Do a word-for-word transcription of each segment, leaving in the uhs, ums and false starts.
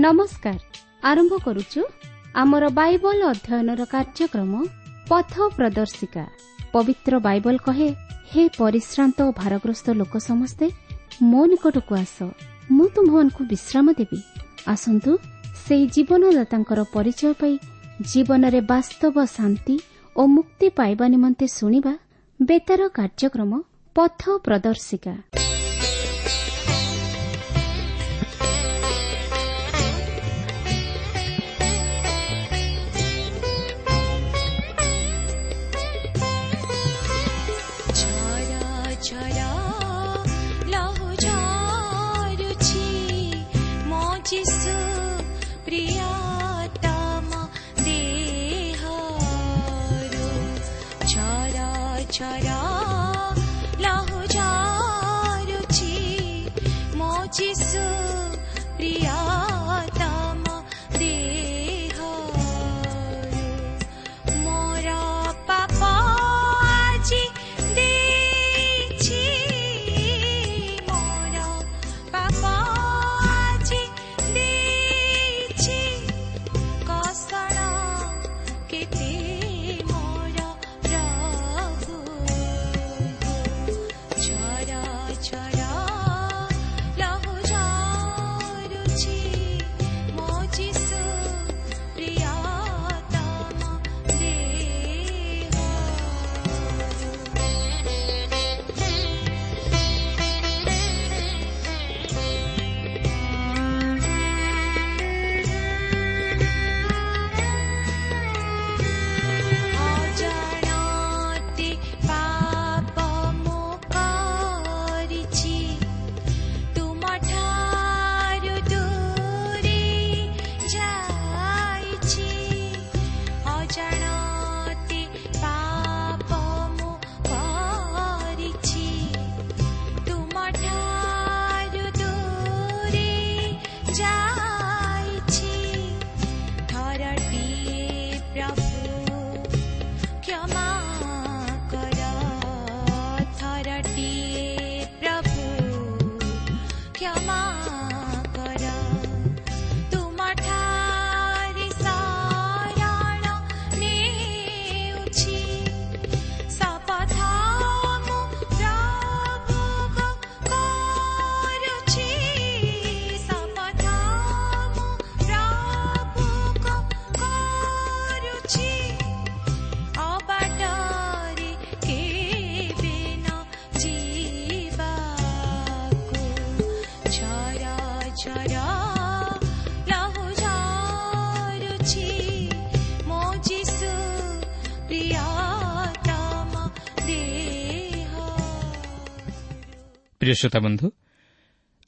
ନମସ୍କାର। ଆରମ୍ଭ କରୁଛୁ ଆମର ବାଇବଲ ଅଧ୍ୟୟନର କାର୍ଯ୍ୟକ୍ରମ ପଥ ପ୍ରଦର୍ଶିକା। ପବିତ୍ର ବାଇବଲ କହେ, ହେ ପରିଶ୍ରାନ୍ତ ଓ ଭାରଗ୍ରସ୍ତ ଲୋକ ସମସ୍ତେ ମୋ ନିକଟକୁ ଆସ, ମୁଁ ତୁମ୍ଭମାନଙ୍କୁ ବିଶ୍ରାମ ଦେବି। ଆସନ୍ତୁ ସେହି ଜୀବନଦାତାଙ୍କର ପରିଚୟ ପାଇ ଜୀବନରେ ବାସ୍ତବ ଶାନ୍ତି ଓ ମୁକ୍ତି ପାଇବା ନିମନ୍ତେ ଶୁଣିବା ବେତାର କାର୍ଯ୍ୟକ୍ରମ ପଥ ପ୍ରଦର୍ଶିକା। ପ୍ରିୟ ଶ୍ରୋତା ବନ୍ଧୁ,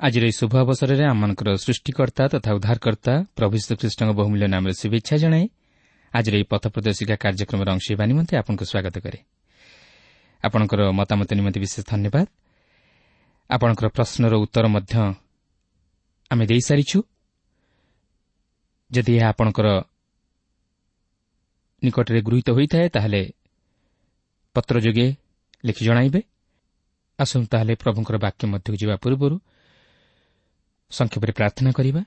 ଆଜିର ଏହି ଶୁଭ ଅବସରରେ ଆମମାନଙ୍କର ସୃଷ୍ଟିକର୍ତ୍ତା ତଥା ଉଦ୍ଧାରକର୍ତ୍ତା ପ୍ରଭୁ ଯୀଶୁଖ୍ରୀଷ୍ଟଙ୍କ ବହୁମୂଲ୍ୟ ନାମରେ ଶୁଭେଚ୍ଛା ଜଣାଇ ଆଜିର ଏହି ପଥ ପ୍ରଦର୍ଶିକା କାର୍ଯ୍ୟକ୍ରମର ଅଂଶ ହେବା ନିମନ୍ତେ ଆପଣଙ୍କୁ ସ୍ୱାଗତ କରେ। ଆପଣଙ୍କର ମତାମତ ନିମନ୍ତେ ବିଶେଷ ଧନ୍ୟବାଦ। ଆପଣଙ୍କର ପ୍ରଶ୍ନର ଉତ୍ତର ମଧ୍ୟ ଆମେ ଦେଇସାରିଛୁ। ଯଦି ଏହା ଆପଣଙ୍କର ନିକଟରେ ଗୃହୀତ ହୋଇଥାଏ ତାହେଲେ ପତ୍ର ଯୋଗେ ଲେଖି ଜଣାଇବେ। ଆସନ୍ତୁ ତାହେଲେ ପ୍ରଭୁଙ୍କର ବାକ୍ୟ ମଧ୍ୟକୁ ଯିବା ପୂର୍ବରୁ ସଂକ୍ଷେପରେ ପ୍ରାର୍ଥନା କରିବା।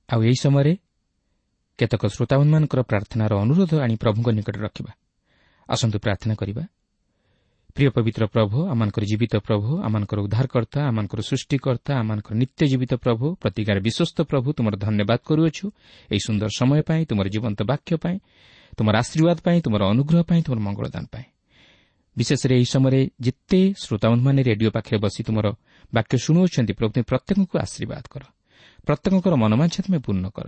ଆଉ ଏହି ସମୟରେ କେତେକ ଶ୍ରୋତାବନ୍ଧୁମାନଙ୍କର ପ୍ରାର୍ଥନାର ଅନୁରୋଧ ଆଣି ପ୍ରଭୁଙ୍କ ନିକଟରେ ରଖିବା। ଆସନ୍ତୁ ପ୍ରାର୍ଥନା କରିବା। ପ୍ରିୟ ପବିତ୍ର ପ୍ରଭୁ, ଆମମାନଙ୍କର ଜୀବିତ ପ୍ରଭୁ, ଆମମାନଙ୍କର ଉଦ୍ଧାରକର୍ତ୍ତା, ଆମମାନଙ୍କର ସୃଷ୍ଟିକର୍ତ୍ତା, ଆମମାନଙ୍କର ନିତ୍ୟ ଜୀବିତ ପ୍ରଭୁ, ପ୍ରତିକାର ବିଶ୍ୱସ୍ତ ପ୍ରଭୁ, ତୁମର ଧନ୍ୟବାଦ କରୁଅଛୁ ଏହି ସୁନ୍ଦର ସମୟ ପାଇଁ, ତୁମର ଜୀବନ୍ତ ବାକ୍ୟ ପାଇଁ, ତୁମର ଆଶୀର୍ବାଦ ପାଇଁ, ତୁମର ଅନୁଗ୍ରହ ପାଇଁ, ତୁମର ମଙ୍ଗଳଦାନ ପାଇଁ। ବିଶେଷରେ ଏହି ସମୟରେ ଯେତେ ଶ୍ରୋତାବନ୍ଧୁମାନେ ରେଡିଓ ପାଖରେ ବସି ତୁମର ବାକ୍ୟ ଶୁଣୁଅଛନ୍ତି, ପ୍ରଭୁ ତୁମେ ପ୍ରତ୍ୟେକଙ୍କୁ ଆଶୀର୍ବାଦ କର, ପ୍ରତ୍ୟେକଙ୍କର ମନୋବାଞ୍ଛା ତୁମେ ପୂର୍ଣ୍ଣ କର।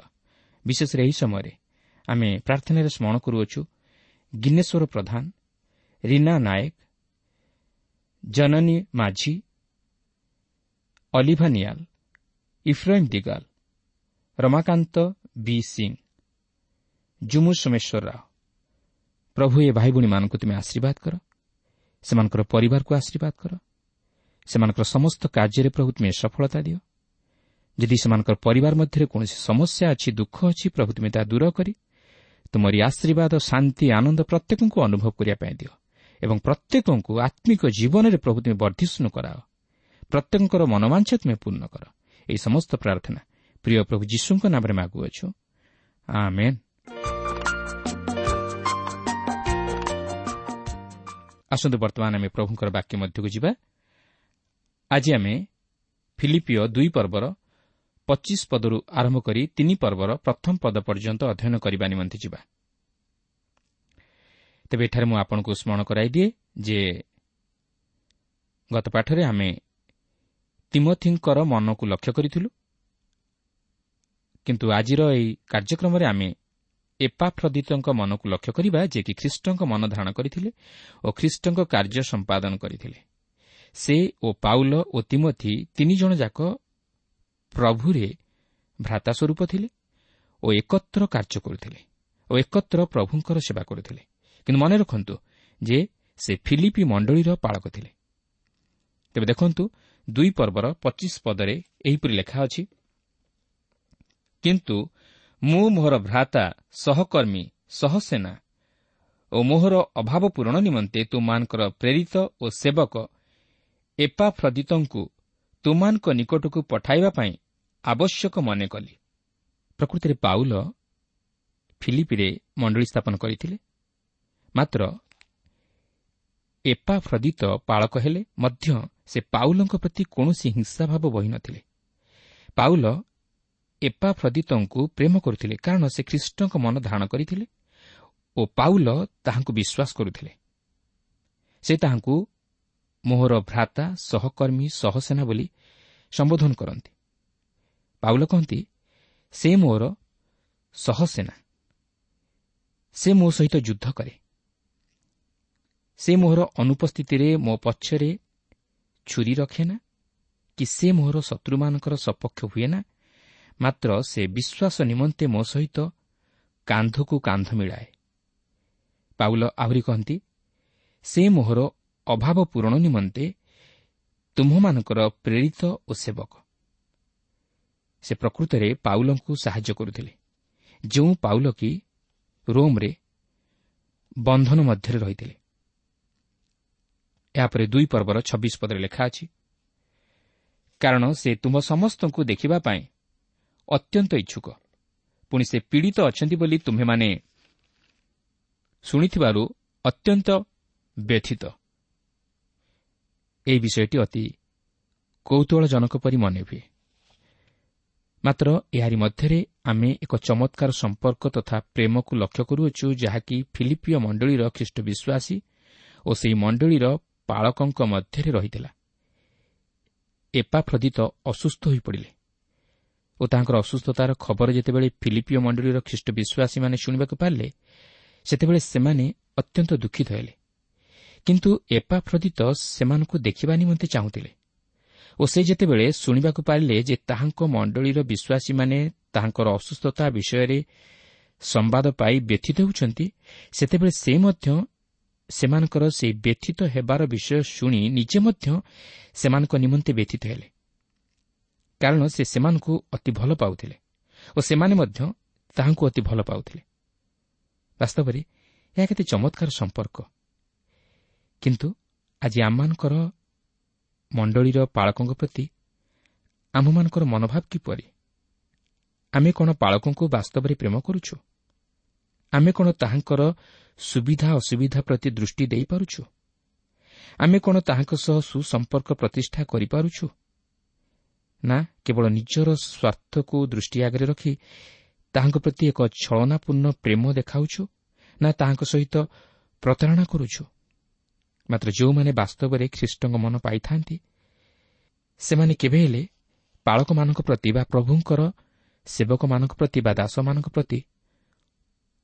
ବିଶେଷରେ ଏହି ସମୟରେ ଆମେ ପ୍ରାର୍ଥନାରେ ସ୍ମରଣ କରୁଅଛୁ ଗିନେଶ୍ୱର ପ୍ରଧାନ, ରୀନା ନାୟକ, ଜନନୀ ମାଝୀ, ଅଲିଭା ନିଆଲ, ଇଫ୍ରାଇମ୍ ଦିଗାଲ, ରମାକାନ୍ତ ବି ସିଂ, ଜୁମୁ ସୋମେଶ୍ୱର ରାଓ। ପ୍ରଭୁ ଏ ଭାଇ ଭଉଣୀମାନଙ୍କୁ ତୁମେ ଆଶୀର୍ବାଦ କର, ସେମାନଙ୍କର ପରିବାରକୁ ଆଶୀର୍ବାଦ କର, ସେମାନଙ୍କର ସମସ୍ତ କାର୍ଯ୍ୟରେ ପ୍ରଭୁ ତୁମେ ସଫଳତା ଦିଅ। ଯଦି ସେମାନଙ୍କର ପରିବାର ମଧ୍ୟରେ କୌଣସି ସମସ୍ୟା ଅଛି, ଦୁଃଖ ଅଛି, ପ୍ରଭୁ ତୁମେ ତାହା ଦୂର କରି ତୁମରି ଆଶୀର୍ବାଦ, ଶାନ୍ତି, ଆନନ୍ଦ ପ୍ରତ୍ୟେକଙ୍କୁ ଅନୁଭବ କରିବା ପାଇଁ ଦିଅ ଏବଂ ପ୍ରତ୍ୟେକଙ୍କୁ ଆତ୍ମିକ ଜୀବନରେ ପ୍ରଭୁ ତୁମେ ବର୍ଦ୍ଧିଷ୍ଣୁ କରାଅ। ପ୍ରତ୍ୟେକଙ୍କର ମନୋବାଞ୍ଛା ତୁମେ ପୂର୍ଣ୍ଣ କର। ଏହି ସମସ୍ତ ପ୍ରାର୍ଥନା ପ୍ରିୟ ପ୍ରଭୁ ଯୀଶୁଙ୍କ ନାମରେ ମାଗୁଅଛୁ, ଆମେନ୍। ଆସନ୍ତୁ ବର୍ତ୍ତମାନ ଆମେ ପ୍ରଭୁଙ୍କର ବାକ୍ୟ ମଧ୍ୟକୁ ଯିବା। ଆଜି ଆମେ ଫିଲିପିଓ ଦୁଇ ପର୍ବର ପଚିଶ ପଦରୁ ଆରମ୍ଭ କରି ତିନି ପର୍ବର ପ୍ରଥମ ପଦ ପର୍ଯ୍ୟନ୍ତ ଅଧ୍ୟୟନ କରିବା ନିମନ୍ତେ ଯିବା। ତେବେ ଏଠାରେ ମୁଁ ଆପଣଙ୍କୁ ସ୍ମରଣ କରାଇଦିଏ ଯେ ଗତ ପାଠରେ ଆମେ ତିମୋଥିଙ୍କର ମନକୁ ଲକ୍ଷ୍ୟ କରିଥିଲୁ, କିନ୍ତୁ ଆଜିର ଏହି କାର୍ଯ୍ୟକ୍ରମରେ ଆମେ ଏପାଫ୍ରଦିତଙ୍କ ମନକୁ ଲକ୍ଷ୍ୟ କରିବା, ଯିଏକି ଖ୍ରୀଷ୍ଟଙ୍କ ମନ ଧାରଣ କରିଥିଲେ ଓ ଖ୍ରୀଷ୍ଟଙ୍କ କାର୍ଯ୍ୟ ସମ୍ପାଦନ କରିଥିଲେ। ସେ ଓ ପାଉଲ ଓ ତିମୋଥି ତିନି ଜଣ ଯାକ ପ୍ରଭୁରେ ଭ୍ରାତା ସ୍ୱରୂପ ଥିଲେ ଓ ଏକତ୍ର କାର୍ଯ୍ୟ କରୁଥିଲେ ଓ ଏକତ୍ର ପ୍ରଭୁଙ୍କର ସେବା କରୁଥିଲେ। କିନ୍ତୁ ମନେ ରଖନ୍ତୁ ଯେ ସେ ଫିଲିପି ମଣ୍ଡଳୀର ପାଳକ ଥିଲେ। ତେବେ ଦେଖନ୍ତୁ ଦୁଇ ପର୍ବର ପଚିଶ ପଦରେ ଏହିପରି ଲେଖା ଅଛି, କିନ୍ତୁ ମୁଁ ମୋହର ଭ୍ରାତା, ସହକର୍ମୀ, ସହସେନା ଓ ମୋହର ଅଭାବ ପୂରଣ ନିମନ୍ତେ ତୁମମାନଙ୍କର ପ୍ରେରିତ ଓ ସେବକ ଏପାଫ୍ରଦିତଙ୍କୁ ତୁମମାନଙ୍କ ନିକଟକୁ ପଠାଇବା ପାଇଁ ଆବଶ୍ୟକ ମନେ କଲି। ପ୍ରକୃତରେ ପାଉଲ ଫିଲିପିରେ ମଣ୍ଡଳୀ ସ୍ଥାପନ କରିଥିଲେ, ମାତ୍ର ଏପାଫ୍ରଦିତ ପାଳକ ହେଲେ ମଧ୍ୟ ସେ ପାଉଲଙ୍କ ପ୍ରତି କୌଣସି ହିଂସାଭାବ ବହିନଥିଲେ। ପାଉଲ ଏପାଫ୍ରଦିତଙ୍କୁ ପ୍ରେମ କରୁଥିଲେ, କାରଣ ସେ ଖ୍ରୀଷ୍ଟଙ୍କ ମନ ଧାରଣ କରିଥିଲେ ଓ ପାଉଲ ତାହାଙ୍କୁ ବିଶ୍ୱାସ କରୁଥିଲେ। ସେ ତାହାଙ୍କୁ ମୋହର ଭ୍ରାତା, ସହକର୍ମୀ, ସହସେନା ବୋଲି ସମ୍ବୋଧନ କରନ୍ତି। ପାଉଲ କହନ୍ତି, ସେ ମୋର ସହସେନା, ସେ ମୋ ସହିତ ଯୁଦ୍ଧ କରେ, ସେ ମୋହର ଅନୁପସ୍ଥିତିରେ ମୋ ପଛରେ ଛୁରୀ ରଖେନା କି ସେ ମୋହର ଶତ୍ରୁମାନଙ୍କର ସପକ୍ଷ ହୁଏ ନା, ମାତ୍ର ସେ ବିଶ୍ୱାସ ନିମନ୍ତେ ମୋ ସହିତ କାନ୍ଧକୁ କାନ୍ଧ ମିଳାଏ। ପାଉଲ ଆହୁରି କହନ୍ତି, ସେ ମୋହର ଅଭାବ ପୂରଣ ନିମନ୍ତେ ତୁମ୍ଭମାନଙ୍କର ପ୍ରେରିତ ଓ ସେବକ। ସେ ପ୍ରକୃତରେ ପାଉଲଙ୍କୁ ସାହାଯ୍ୟ କରୁଥିଲେ, ଯେଉଁ ପାଉଲ କି ରୋମ୍ରେ ବନ୍ଧନ ମଧ୍ୟରେ ରହିଥିଲେ। ଏହାପରେ ଦୁଇ ପର୍ବର ଛବିଶ ପଦରେ ଲେଖା ଅଛି, କାରଣ ସେ ତୁମ୍ଭ ସମସ୍ତଙ୍କୁ ଦେଖିବା ପାଇଁ ଅତ୍ୟନ୍ତ ଇଚ୍ଛୁକ, ପୁଣି ସେ ପୀଡ଼ିତ ଅଛନ୍ତି ବୋଲି ତୁମ୍ଭେମାନେ ଶୁଣିଥିବାରୁ ଅତ୍ୟନ୍ତ ବ୍ୟଥିତ। ଏହି ବିଷୟଟି ଅତି କୌତୂହଳଜନକ ପରି ମନେ ହୁଏ, ମାତ୍ର ଏହାରି ମଧ୍ୟରେ ଆମେ ଏକ ଚମତ୍କାର ସମ୍ପର୍କ ତଥା ପ୍ରେମକୁ ଲକ୍ଷ୍ୟ କରୁଅଛୁ, ଯାହାକି ଫିଲିପିଓ ମଣ୍ଡଳୀର ଖ୍ରୀଷ୍ଟ ବିଶ୍ୱାସୀ ଓ ସେହି ମଣ୍ଡଳୀର ପାଳକଙ୍କ ମଧ୍ୟରେ ରହିଥିଲା। ଏପାଫ୍ରଦିତ ଅସୁସ୍ଥ ହୋଇପଡ଼ିଲେ ଓ ତାଙ୍କର ଅସୁସ୍ଥତାର ଖବର ଯେତେବେଳେ ଫିଲିପିଓ ମଣ୍ଡଳୀର ଖ୍ରୀଷ୍ଟ ବିଶ୍ୱାସୀମାନେ ଶୁଣିବାକୁ ପାରିଲେ, ସେତେବେଳେ ସେମାନେ ଅତ୍ୟନ୍ତ ଦୁଃଖିତ ହେଲେ। କିନ୍ତୁ ଏପାଫ୍ରଦିତ ସେମାନଙ୍କୁ ଦେଖିବା ନିମନ୍ତେ ଚାହୁଁଥିଲେ ଓ ସେ ଯେତେବେଳେ ଶୁଣିବାକୁ ପାରିଲେ ଯେ ତାହାଙ୍କ ମଣ୍ଡଳୀର ବିଶ୍ୱାସୀମାନେ ତାହାଙ୍କର ଅସୁସ୍ଥତା ବିଷୟରେ ସମ୍ବାଦ ପାଇ ବ୍ୟଥିତ ହେଉଛନ୍ତି, ସେତେବେଳେ ସେ ମଧ୍ୟ ସେମାନଙ୍କର ସେହି ବ୍ୟଥିତ ହେବାର ବିଷୟ ଶୁଣି ନିଜେ ମଧ୍ୟ ସେମାନଙ୍କ ନିମନ୍ତେ ବ୍ୟଥିତ ହେଲେ, କାରଣ ସେ ସେମାନଙ୍କୁ ଅତି ଭଲ ପାଉଥିଲେ ଓ ସେମାନେ ମଧ୍ୟ ତାହାଙ୍କୁ ଅତି ଭଲ ପାଉଥିଲେ। ବାସ୍ତବରେ ଏହା କେତେ ଚମତ୍କାର ସମ୍ପର୍କ। କିନ୍ତୁ ଆଜି ଆମମାନଙ୍କର ମଣ୍ଡଳୀର ପାଳକଙ୍କ ପ୍ରତି ଆମ୍ଭମାନଙ୍କର ମନୋଭାବ କିପରି? ଆମେ କ'ଣ ପାଳକଙ୍କୁ ବାସ୍ତବରେ ପ୍ରେମ କରୁଛୁ? ଆମେ କ'ଣ ତାହାଙ୍କର ସୁବିଧା ଅସୁବିଧା ପ୍ରତି ଦୃଷ୍ଟି ଦେଇପାରୁଛୁ? ଆମେ କ'ଣ ତାହାଙ୍କ ସହ ସୁସମ୍ପର୍କ ପ୍ରତିଷ୍ଠା କରିପାରୁଛୁ? ନା କେବଳ ନିଜର ସ୍ୱାର୍ଥକୁ ଦୃଷ୍ଟି ଆଗରେ ରଖି ତାହାଙ୍କ ପ୍ରତି ଏକ ଛଳନାପୂର୍ଣ୍ଣ ପ୍ରେମ ଦେଖାଉଛୁ, ନା ତାହାଙ୍କ ସହିତ ପ୍ରତାରଣା କରୁଛୁ? ମାତ୍ର ଯେଉଁମାନେ ବାସ୍ତବରେ ଖ୍ରୀଷ୍ଟଙ୍କ ମନ ପାଇଥାନ୍ତି, ସେମାନେ କେବେ ହେଲେ ପାଳକମାନଙ୍କ ପ୍ରତି ବା ପ୍ରଭୁଙ୍କର ସେବକମାନଙ୍କ ପ୍ରତି ବା ଦାସମାନଙ୍କ ପ୍ରତି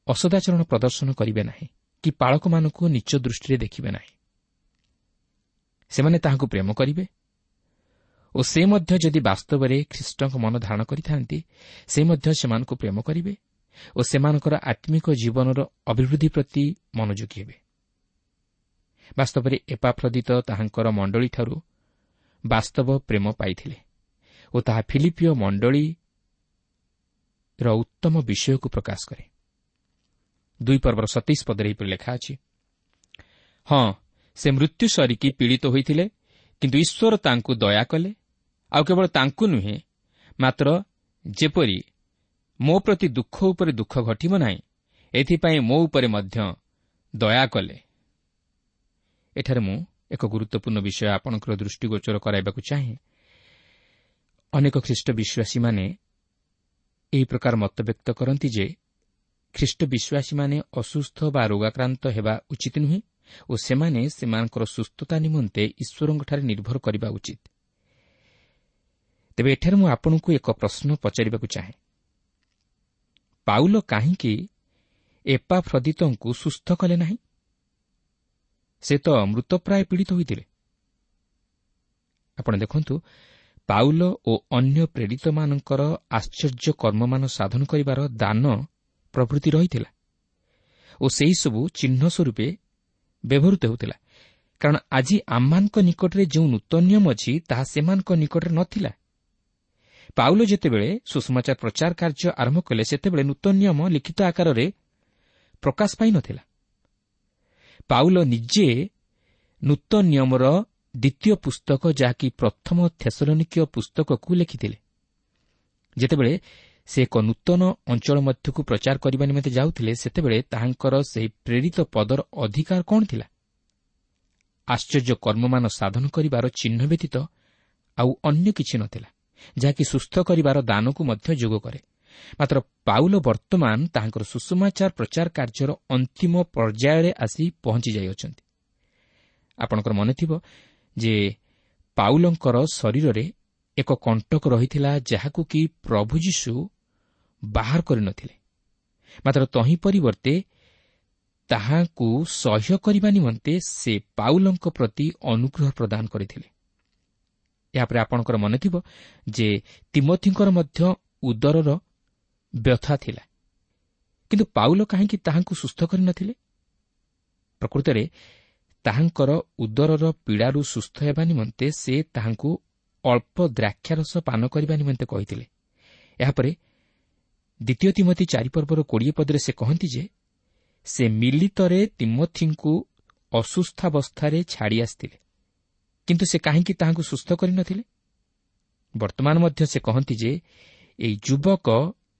ଅସଦାଚରଣ ପ୍ରଦର୍ଶନ କରିବେ ନାହିଁ କି ପାଳକମାନଙ୍କୁ ନିଚ ଦୃଷ୍ଟିରେ ଦେଖିବେ ନାହିଁ। ସେମାନେ ତାହାଙ୍କୁ ପ୍ରେମ କରିବେ ଓ ସେ ମଧ୍ୟ ଯଦି ବାସ୍ତବରେ ଖ୍ରୀଷ୍ଟଙ୍କ ମନ ଧାରଣ କରିଥାନ୍ତି, ସେ ମଧ୍ୟ ସେମାନଙ୍କୁ ପ୍ରେମ କରିବେ ଓ ସେମାନଙ୍କର ଆତ୍ମିକ ଜୀବନର ଅଭିବୃଦ୍ଧି ପ୍ରତି ମନୋଯୋଗୀ ହେବେ। ବାସ୍ତବରେ ଏପାଫ୍ରଦିତ ତାହାଙ୍କର ମଣ୍ଡଳୀଠାରୁ ବାସ୍ତବ ପ୍ରେମ ପାଇଥିଲେ ଓ ତାହା ଫିଲିପିଓ ମଣ୍ଡଳୀର ଉତ୍ତମ ବିଷୟକୁ ପ୍ରକାଶ କରେ। ଦୁଇ ପର୍ବର ସତେଇଶ ପଦରେ ଏହିପରି ଲେଖା ଅଛି, ହଁ, ସେ ମୃତ୍ୟୁ ସରିକି ପୀଡ଼ିତ ହୋଇଥିଲେ, କିନ୍ତୁ ଈଶ୍ୱର ତାଙ୍କୁ ଦୟା କଲେ, ଆଉ କେବଳ ତାଙ୍କୁ ନୁହେଁ, ମାତ୍ର ଯେପରି ମୋ ପ୍ରତି ଦୁଃଖ ଉପରେ ଦୁଃଖ ଘଟିବ ନାହିଁ, ଏଥିପାଇଁ ମୋ ଉପରେ ମଧ୍ୟ ଦୟା କଲେ। ଏଠାରେ ମୁଁ ଏକ ଗୁରୁତ୍ୱପୂର୍ଣ୍ଣ ବିଷୟ ଆପଣଙ୍କର ଦୃଷ୍ଟିଗୋଚର କରାଇବାକୁ ଚାହେଁ। ଅନେକ ଖ୍ରୀଷ୍ଟ ବିଶ୍ୱାସୀମାନେ ଏହି ପ୍ରକାର ମତବ୍ୟକ୍ତ କରନ୍ତି ଯେ ଖ୍ରୀଷ୍ଟ ବିଶ୍ୱାସୀମାନେ ଅସୁସ୍ଥ ବା ରୋଗାକ୍ରାନ୍ତ ହେବା ଉଚିତ ନୁହେଁ ଓ ସେମାନେ ସେମାନଙ୍କର ସୁସ୍ଥତା ନିମନ୍ତେ ଈଶ୍ୱରଙ୍କଠାରେ ନିର୍ଭର କରିବା ଉଚିତ। ତେବେ ଏଠାରେ ମୁଁ ଆପଣଙ୍କୁ ଏକ ପ୍ରଶ୍ନ ପଚାରିବାକୁ ଚାହେଁ। ପାଉଲ କାହିଁକି ଏପାଫ୍ରଦିତଙ୍କୁ ସୁସ୍ଥ କଲେ ନାହିଁ? ସେ ତ ମୃତପ୍ରାୟ ପୀଡ଼ିତ ହୋଇଥିଲେ। ଆପଣ ଦେଖନ୍ତୁ, ପାଉଲ ଓ ଅନ୍ୟ ପ୍ରେରିତମାନଙ୍କର ଆଶ୍ଚର୍ଯ୍ୟ କର୍ମମାନ ସାଧନ କରିବାର ଦାନ ପ୍ରଭୃତି ରହିଥିଲା ଓ ସେହିସବୁ ଚିହ୍ନ ସ୍ୱରୂପେ ବ୍ୟବହୃତ ହେଉଥିଲା, କାରଣ ଆଜି ଆମମାନଙ୍କ ନିକଟରେ ଯେଉଁ ନୂତନ ନିୟମ ଅଛି ତାହା ସେମାନଙ୍କ ନିକଟରେ ନଥିଲା। ପାଉଲ ଯେତେବେଳେ ସୁସମାଚାର ପ୍ରଚାର କାର୍ଯ୍ୟ ଆରମ୍ଭ କଲେ, ସେତେବେଳେ ନୂତନ ନିୟମ ଲିଖିତ ଆକାରରେ ପ୍ରକାଶ ପାଇନଥିଲା। ପାଉଲ ନିଜେ ନୂତନ ନିୟମର ଦ୍ୱିତୀୟ ପୁସ୍ତକ, ଯାହାକି ପ୍ରଥମ ଥେସଲନିକୀୟ ପୁସ୍ତକକୁ ଲେଖିଥିଲେ। ଯେତେବେଳେ ସେ ଏକ ନୂତନ ଅଞ୍ଚଳ ମଧ୍ୟକୁ ପ୍ରଚାର କରିବା ନିମନ୍ତେ ଯାଉଥିଲେ, ସେତେବେଳେ ତାହାଙ୍କର ସେହି ପ୍ରେରିତ ପଦର ଅଧିକାର କ'ଣ ଥିଲା? ଆଶ୍ଚର୍ଯ୍ୟ କର୍ମମାନ ସାଧନ କରିବାର ଚିହ୍ନ ବ୍ୟତୀତ ଆଉ ଅନ୍ୟ କିଛି ନଥିଲା, ଯାହାକି ସୁସ୍ଥ କରିବାର ଦାନକୁ ମଧ୍ୟ ଯୋଗ କରେ। ମାତ୍ର ପାଉଲ ବର୍ତ୍ତମାନ ତାହାଙ୍କର ସୁସମାଚାର ପ୍ରଚାର କାର୍ଯ୍ୟର ଅନ୍ତିମ ପର୍ଯ୍ୟାୟରେ ଆସି ପହଞ୍ଚି ଯାଇଅଛନ୍ତି। ଆପଣଙ୍କର ମନେଥିବ ଯେ ପାଉଲଙ୍କର ଶରୀରରେ ଏକ କଣ୍ଟକ ରହିଥିଲା, ଯାହାକୁ କି ପ୍ରଭୁ ଯୀଶୁ ବାହାର କରିନଥିଲେ, ମାତ୍ର ତହିଁ ପରିବର୍ତ୍ତେ ତାହାକୁ ସହ୍ୟ କରିବା ନିମନ୍ତେ ସେ ପାଉଲଙ୍କ ପ୍ରତି ଅନୁଗ୍ରହ ପ୍ରଦାନ କରିଥିଲେ। ଏହାପରେ ଆପଣଙ୍କର ମନେଥିବ ଯେ ତିମୋଥିଙ୍କର ମଧ୍ୟ ଉଦରର ବ୍ୟଥା ଥିଲା, କିନ୍ତୁ ପାଉଲ କାହିଁକି ତାହାଙ୍କୁ ସୁସ୍ଥ କରିନଥିଲେ? ପ୍ରକୃତରେ ତାହାଙ୍କର ଉଦରର ପୀଡ଼ାରୁ ସୁସ୍ଥ ହେବା ନିମନ୍ତେ ସେ ତାହାଙ୍କୁ ଅଳ୍ପ ଦ୍ରାକ୍ଷାରସ ପାନ କରିବା ନିମନ୍ତେ କହିଥିଲେ। ଏହାପରେ ଦ୍ୱିତୀୟ ତିମୋଥି ଚାରି ପର୍ବର କୋଡ଼ିଏ ପଦରେ ସେ କହନ୍ତି ଯେ ସେ ମିଲିତରେ ତିମୋଥିଙ୍କୁ ଅସୁସ୍ଥାବସ୍ଥାରେ ଛାଡ଼ି ଆସିଥିଲେ, କିନ୍ତୁ ସେ କାହିଁକି ତାହାଙ୍କୁ ସୁସ୍ଥ କରିନଥିଲେ? ବର୍ତ୍ତମାନ ମଧ୍ୟ ସେ କହନ୍ତି ଯେ ଏହି ଯୁବକ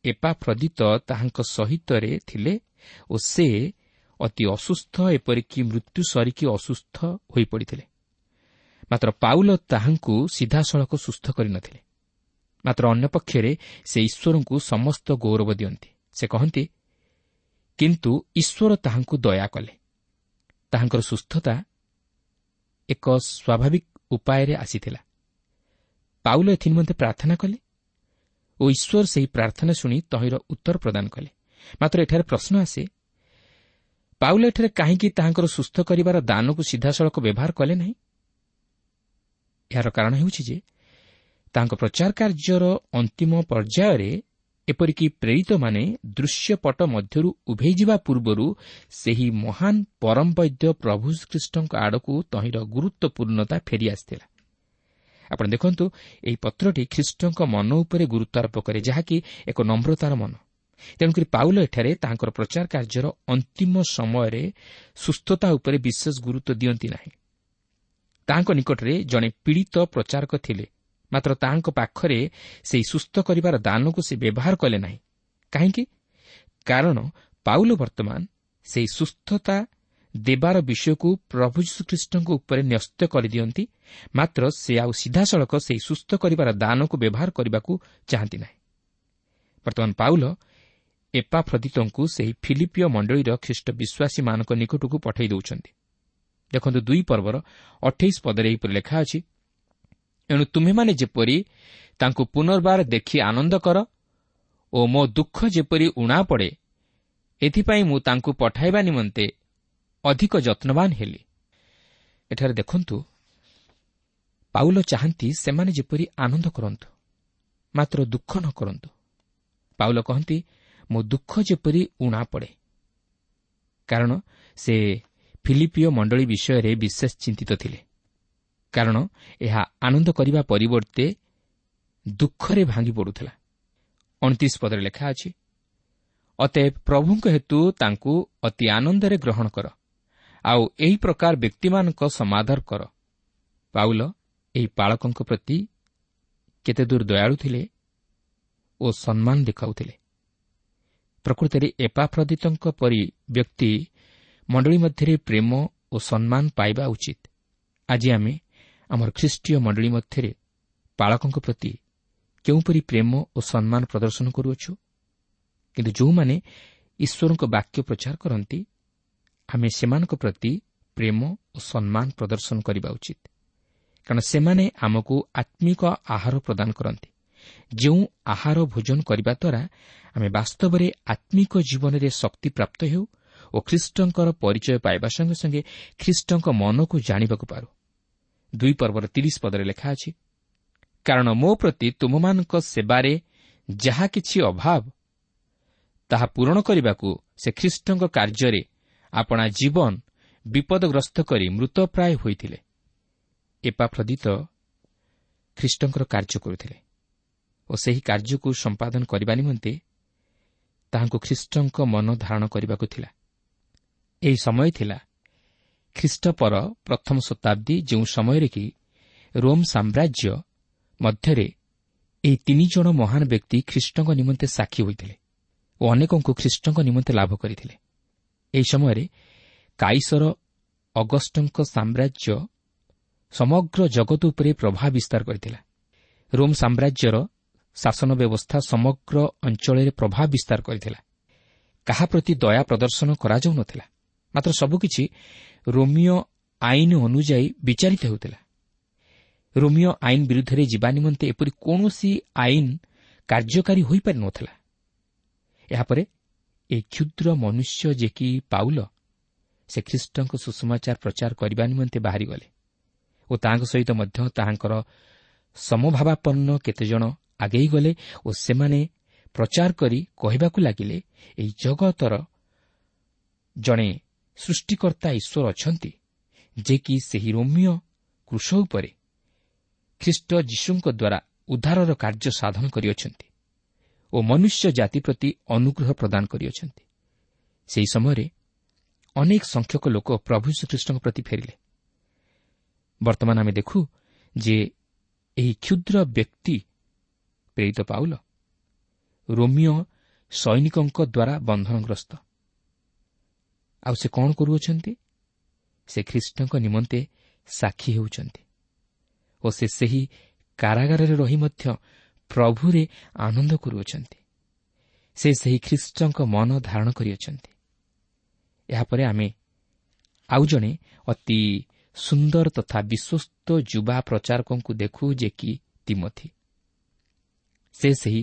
ଏପାଫ୍ରଦିତ ତାହାଙ୍କ ସହିତରେ ଥିଲେ ଓ ସେ ଅତି ଅସୁସ୍ଥ, ଏପରିକି ମୃତ୍ୟୁ ସରିକି ଅସୁସ୍ଥ ହୋଇପଡ଼ିଥିଲେ। ମାତ୍ର ପାଉଲ ତାହାଙ୍କୁ ସିଧାସଳଖ ସୁସ୍ଥ କରିନଥିଲେ। ମାତ୍ର ଅନ୍ୟପକ୍ଷରେ ସେ ଈଶ୍ୱରଙ୍କୁ ସମସ୍ତ ଗୌରବ ଦିଅନ୍ତି। ସେ କହନ୍ତି, କିନ୍ତୁ ଈଶ୍ୱର ତାହାଙ୍କୁ ଦୟା କଲେ। ତାହାଙ୍କର ସୁସ୍ଥତା ଏକ ସ୍ୱାଭାବିକ ଉପାୟରେ ଆସିଥିଲା। ପାଉଲ ଏଥିନିମନ୍ତେ ପ୍ରାର୍ଥନା କଲେ ଓ ଈଶ୍ୱର ସେହି ପ୍ରାର୍ଥନା ଶୁଣି ତହିଁର ଉତ୍ତର ପ୍ରଦାନ କଲେ। ମାତ୍ର ଏଠାରେ ପ୍ରଶ୍ନ ଆସେ, ପାଉଲ ଏଠାରେ କାହିଁକି ତାହାଙ୍କର ସୁସ୍ଥ କରିବାର ଦାନକୁ ସିଧାସଳଖ ବ୍ୟବହାର କଲେ ନାହିଁ? ଏହାର କାରଣ ହେଉଛି ଯେ ତାଙ୍କ ପ୍ରଚାର କାର୍ଯ୍ୟର ଅନ୍ତିମ ପର୍ଯ୍ୟାୟରେ ଏପରିକି ପ୍ରେରିତମାନେ ଦୃଶ୍ୟପଟ ମଧ୍ୟରୁ ଉଭେଇଯିବା ପୂର୍ବରୁ ସେହି ମହାନ ପରମ ବୈଦ୍ୟ ପ୍ରଭୁ ଖ୍ରୀଷ୍ଟଙ୍କ ଆଡ଼କୁ ତହିଁର ଗୁରୁତ୍ୱପୂର୍ଣ୍ଣତା ଫେରିଆସିଥିଲା। ଆପଣ ଦେଖନ୍ତୁ, ଏହି ପତ୍ରଟି ଖ୍ରୀଷ୍ଟଙ୍କ ମନ ଉପରେ ଗୁରୁତ୍ୱାରୋପ କରେ, ଯାହାକି ଏକ ନମ୍ରତାର ମନ। ତେଣୁକରି ପାଉଲ ଏଠାରେ ତାଙ୍କର ପ୍ରଚାର କାର୍ଯ୍ୟର ଅନ୍ତିମ ସମୟରେ ସୁସ୍ଥତା ଉପରେ ବିଶେଷ ଗୁରୁତ୍ୱ ଦିଅନ୍ତି ନାହିଁ। ତାହାଙ୍କ ନିକଟରେ ଜଣେ ପୀଡ଼ିତ ପ୍ରଚାରକ ଥିଲେ, ମାତ୍ର ତାହାଙ୍କ ପାଖରେ ସେହି ସୁସ୍ଥ କରିବାର ଦାନକୁ ସେ ବ୍ୟବହାର କଲେ ନାହିଁ। କାହିଁକି? କାରଣ ପାଉଲ ବର୍ତ୍ତମାନ ସେହି ସୁସ୍ଥତା ଦେବାର ବିଷୟକୁ ପ୍ରଭୁ ଯୀଶୁଖ୍ରୀଷ୍ଟଙ୍କ ଉପରେ ନ୍ୟସ୍ତ କରିଦିଅନ୍ତି, ମାତ୍ର ସେ ଆଉ ସିଧାସଳଖ ସେହି ସୁସ୍ଥ କରିବାର ଦାନକୁ ବ୍ୟବହାର କରିବାକୁ ଚାହାନ୍ତି ନାହିଁ। ବର୍ତ୍ତମାନ ପାଉଲ ଏପାଫ୍ରଦିତଙ୍କୁ ସେହି ଫିଲିପିୟ ମଣ୍ଡଳୀର ଖ୍ରୀଷ୍ଟ ବିଶ୍ୱାସୀମାନଙ୍କ ନିକଟକୁ ପଠାଇ ଦେଉଛନ୍ତି। ଦେଖନ୍ତୁ, ଦୁଇ ପର୍ବର ଅଠେଇଶ ପଦରେ ଏହିପରି ଲେଖା ଅଛି, ଏଣୁ ତୁମ୍ଭେମାନେ ଯେପରି ତାଙ୍କୁ ପୁନର୍ବାର ଦେଖି ଆନନ୍ଦ କର ଓ ମୋ ଦୁଃଖ ଯେପରି ଊଣା ପଡ଼େ, ଏଥିପାଇଁ ମୁଁ ତାଙ୍କୁ ପଠାଇବା ନିମନ୍ତେ ଅଧିକ ଯତ୍ନବାନ ହେଲି। ଏଠାରେ ଦେଖନ୍ତୁ, ପାଉଲ ଚାହାନ୍ତି ସେମାନେ ଯେପରି ଆନନ୍ଦ କରନ୍ତୁ, ମାତ୍ର ଦୁଃଖ ନ କରନ୍ତୁ। ପାଉଲ କହନ୍ତି, ମୋ ଦୁଃଖ ଯେପରି ଊଣା ପଡ଼େ, କାରଣ ସେ ଫିଲିପିୟ ମଣ୍ଡଳୀ ବିଷୟରେ ବିଶେଷ ଚିନ୍ତିତ ଥିଲେ, କାରଣ ଏହା ଆନନ୍ଦ କରିବା ପରିବର୍ତ୍ତେ ଦୁଃଖରେ ଭାଙ୍ଗି ପଡ଼ୁଥିଲା। ଅଣତିରିଶ ପଦରେ ଲେଖା ଅଛି, ଅତଏବ ପ୍ରଭୁଙ୍କ ହେତୁ ତାଙ୍କୁ ଅତି ଆନନ୍ଦରେ ଗ୍ରହଣ କର, ଆଉ ଏହି ପ୍ରକାର ବ୍ୟକ୍ତିମାନଙ୍କ ସମାଦର କର। ପାଉଲ ଏହି ପାଳକଙ୍କ ପ୍ରତି କେତେ ଦୂର ଦୟାଳୁ ଥିଲେ ଓ ସମ୍ମାନ ଦେଖାଉଥିଲେ। ପ୍ରକୃତରେ ଏପାଫ୍ରଦିତଙ୍କ ପରି ବ୍ୟକ୍ତି ମଣ୍ଡଳୀ ମଧ୍ୟରେ ପ୍ରେମ ଓ ସମ୍ମାନ ପାଇବା ଉଚିତ। ଆଜି ଆମେ ଆମର ଖ୍ରୀଷ୍ଟୀୟ ମଣ୍ଡଳୀ ମଧ୍ୟରେ ପାଳକଙ୍କ ପ୍ରତି କେଉଁପରି ପ୍ରେମ ଓ ସମ୍ମାନ ପ୍ରଦର୍ଶନ କରୁଅଛୁ? କିନ୍ତୁ ଯେଉଁମାନେ ଈଶ୍ୱରଙ୍କ ବାକ୍ୟ ପ୍ରଚାର କରନ୍ତି, ଆମେ ସେମାନଙ୍କ ପ୍ରତି ପ୍ରେମ ଓ ସମ୍ମାନ ପ୍ରଦର୍ଶନ କରିବା ଉଚିତ, କାରଣ ସେମାନେ ଆମକୁ ଆତ୍ମିକ ଆହାର ପ୍ରଦାନ କରନ୍ତି, ଯେଉଁ ଆହାର ଭୋଜନ କରିବା ଦ୍ୱାରା ଆମେ ବାସ୍ତବରେ ଆତ୍ମିକ ଜୀବନରେ ଶକ୍ତି ପ୍ରାପ୍ତ ହେଉ ଓ ଖ୍ରୀଷ୍ଟଙ୍କର ପରିଚୟ ପାଇବା ସଙ୍ଗେ ସଙ୍ଗେ ଖ୍ରୀଷ୍ଟଙ୍କ ମନକୁ ଜାଣିବାକୁ ପାରୁ। ଦୁଇ ପର୍ବର ତିରିଶ ପଦରେ ଲେଖା ଅଛି, କାରଣ ମୋ ପ୍ରତି ତୁମମାନଙ୍କ ସେବାରେ ଯାହା କିଛି ଅଭାବ, ତାହା ପୂରଣ କରିବାକୁ ସେ ଖ୍ରୀଷ୍ଟଙ୍କ କାର୍ଯ୍ୟରେ ଆପଣା ଜୀବନ ବିପଦଗ୍ରସ୍ତ କରି ମୃତପ୍ରାୟ ହୋଇଥିଲେ। ଏପାଫ୍ରଦିତ ଖ୍ରୀଷ୍ଟଙ୍କର କାର୍ଯ୍ୟ କରୁଥିଲେ ଓ ସେହି କାର୍ଯ୍ୟକୁ ସମ୍ପାଦନ କରିବା ନିମନ୍ତେ ତାହାଙ୍କୁ ଖ୍ରୀଷ୍ଟଙ୍କ ମନ ଧାରଣ କରିବାକୁ ଥିଲା। ଏହି ସମୟ ଥିଲା ଖ୍ରୀଷ୍ଟପର ପ୍ରଥମ ଶତାବ୍ଦୀ, ଯେଉଁ ସମୟରେ କି ରୋମ୍ ସାମ୍ରାଜ୍ୟ ମଧ୍ୟରେ ଏହି ତିନି ଜଣ ମହାନ ବ୍ୟକ୍ତି ଖ୍ରୀଷ୍ଟଙ୍କ ନିମନ୍ତେ ସାକ୍ଷୀ ହୋଇଥିଲେ ଓ ଅନେକଙ୍କୁ ଖ୍ରୀଷ୍ଟଙ୍କ ନିମନ୍ତେ ଲାଭ କରିଥିଲେ। ଏହି ସମୟରେ କାଇସର ଅଗଷ୍ଟଙ୍କ ସାମ୍ରାଜ୍ୟ ସମଗ୍ର ଜଗତ ଉପରେ ପ୍ରଭାବ ବିସ୍ତାର କରିଥିଲା। ରୋମ୍ ସାମ୍ରାଜ୍ୟର ଶାସନ ବ୍ୟବସ୍ଥା ସମଗ୍ର ଅଞ୍ଚଳରେ ପ୍ରଭାବ ବିସ୍ତାର କରିଥିଲା। କାହା ପ୍ରତି ଦୟା ପ୍ରଦର୍ଶନ କରାଯାଉନଥିଲା, ମାତ୍ର ସବୁକିଛି ରୋମିଓ ଆଇନ ଅନୁଯାୟୀ ବିଚାରିତ ହେଉଥିଲା। ରୋମିଓ ଆଇନ ବିରୁଦ୍ଧରେ ଯିବା ନିମନ୍ତେ ଏପରି କୌଣସି ଆଇନ କାର୍ଯ୍ୟକାରୀ ହୋଇପାରିନଥିଲା। ଏହାପରେ ଏହି କ୍ଷୁଦ୍ର ମନୁଷ୍ୟ ଯେ କି ପାଉଲ, ସେ ଖ୍ରୀଷ୍ଟଙ୍କ ସୁସମାଚାର ପ୍ରଚାର କରିବା ନିମନ୍ତେ ବାହାରିଗଲେ ଓ ତାଙ୍କ ସହିତ ମଧ୍ୟ ତାହାଙ୍କର ସମଭାବାପନ୍ନ କେତେଜଣ ଆଗେଇ ଗଲେ ଓ ସେମାନେ ପ୍ରଚାର କରି କହିବାକୁ ଲାଗିଲେ, ଏହି ଜଗତର ଜଣେ ସୃଷ୍ଟିକର୍ତ୍ତା ଈଶ୍ୱର ଅଛନ୍ତି, ଯେ କି ସେହି ରୋମିଓ କ୍ରୁଶ ଉପରେ ଖ୍ରୀଷ୍ଟ ଯୀଶୁଙ୍କ ଦ୍ୱାରା ଉଦ୍ଧାରର କାର୍ଯ୍ୟ ସାଧନ କରିଅଛନ୍ତି ଓ ମନୁଷ୍ୟ ଜାତି ପ୍ରତି ଅନୁଗ୍ରହ ପ୍ରଦାନ କରିଅଛନ୍ତି। ସେହି ସମୟରେ ଅନେକ ସଂଖ୍ୟକ ଲୋକ ପ୍ରଭୁ ଯୀଶୁଖ୍ରୀଷ୍ଟଙ୍କ ପ୍ରତି ଫେରିଲେ। ବର୍ତ୍ତମାନ ଆମେ ଦେଖୁ ଯେ ଏହି କ୍ଷୁଦ୍ର ବ୍ୟକ୍ତି ପ୍ରେରିତ ପାଉଲ ରୋମିଓ ସୈନିକଙ୍କ ଦ୍ୱାରା ବନ୍ଧନଗ୍ରସ୍ତ। ଆଉ ସେ କ'ଣ କରୁଅଛନ୍ତି? ସେ ଖ୍ରୀଷ୍ଟଙ୍କ ନିମନ୍ତେ ସାକ୍ଷୀ ହେଉଛନ୍ତି ଓ ସେ ସେହି କାରାଗାରରେ ରହି ମଧ୍ୟ ପ୍ରଭୁରେ ଆନନ୍ଦ କରୁଅଛନ୍ତି। ସେ ସେହି ଖ୍ରୀଷ୍ଟଙ୍କ ମନ ଧାରଣ କରିଅଛନ୍ତି। ଏହାପରେ ଆମେ ଆଉ ଜଣେ ଅତି ସୁନ୍ଦର ତଥା ବିଶ୍ୱସ୍ତ ଯୁବା ପ୍ରଚାରକଙ୍କୁ ଦେଖୁ, ଯେ କି ତିମୋଥି। ସେ ସେହି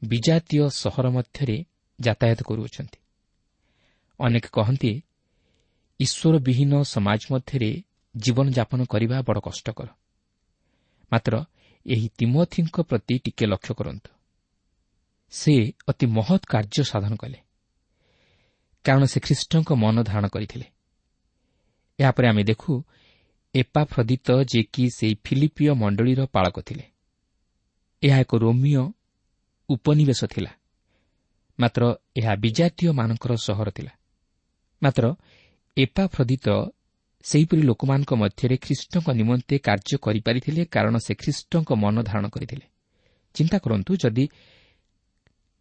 ବିଜାତୀୟ ସହର ମଧ୍ୟରେ ଯାତାୟାତ କରୁଅଛନ୍ତି। ଅନେକ କହନ୍ତି, ଈଶ୍ୱରବିହୀନ ସମାଜ ମଧ୍ୟରେ ଜୀବନଯାପନ କରିବା ବଡ଼ କଷ୍ଟକର। ମାତ୍ର ଏହି ତିମୋଥିଙ୍କ ପ୍ରତି ଟିକେ ଲକ୍ଷ୍ୟ କରନ୍ତୁ। ସେ ଅତି ମହତ୍ କାର୍ଯ୍ୟ ସାଧନ କଲେ, କାରଣ ସେ ଖ୍ରୀଷ୍ଟଙ୍କ ମନ ଧାରଣ କରିଥିଲେ। ଏହାପରେ ଆମେ ଦେଖୁ ଏପାଫ୍ରଦିତ, ଯେ କି ସେହି ଫିଲିପିୟ ମଣ୍ଡଳୀର ପାଳକ ଥିଲେ। ଏହା ଏକ ରୋମିୟ ଉପନିବେଶ ଥିଲା, ମାତ୍ର ଏହା ବିଜାତୀୟମାନଙ୍କର ସହର ଥିଲା। ମାତ୍ର ଏପାଫ୍ରଦିତ ସେହିପରି ଲୋକମାନଙ୍କ ମଧ୍ୟରେ ଖ୍ରୀଷ୍ଟଙ୍କ ନିମନ୍ତେ କାର୍ଯ୍ୟ କରିପାରିଥିଲେ, କାରଣ ସେ ଖ୍ରୀଷ୍ଟଙ୍କ ମନ ଧାରଣ କରିଥିଲେ। ଚିନ୍ତା କରନ୍ତୁ, ଯଦି